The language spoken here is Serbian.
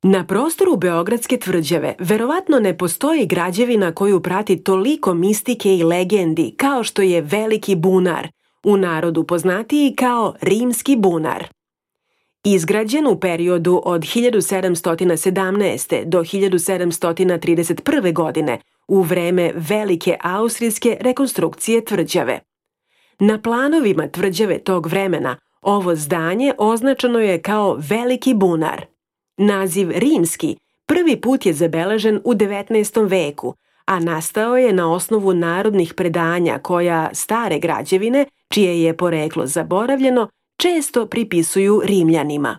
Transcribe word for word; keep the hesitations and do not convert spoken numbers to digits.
Na prostoru Beogradske tvrđave verovatno ne postoji građevina koju prati toliko mistike i legendi kao što je Veliki bunar, u narodu poznatiji kao Rimski bunar. Izgrađen u periodu od hiljadu sedamsto sedamnaeste. do hiljadu sedamsto trideset prve. godine, u vreme Velike austrijske rekonstrukcije tvrđave. Na planovima tvrđave tog vremena ovo zdanje označeno je kao Veliki bunar. Naziv rimski prvi put je zabeležen u devetnaestom veku, a nastao je na osnovu narodnih predanja koja stare građevine, čije je poreklo zaboravljeno, često pripisuju Rimljanima.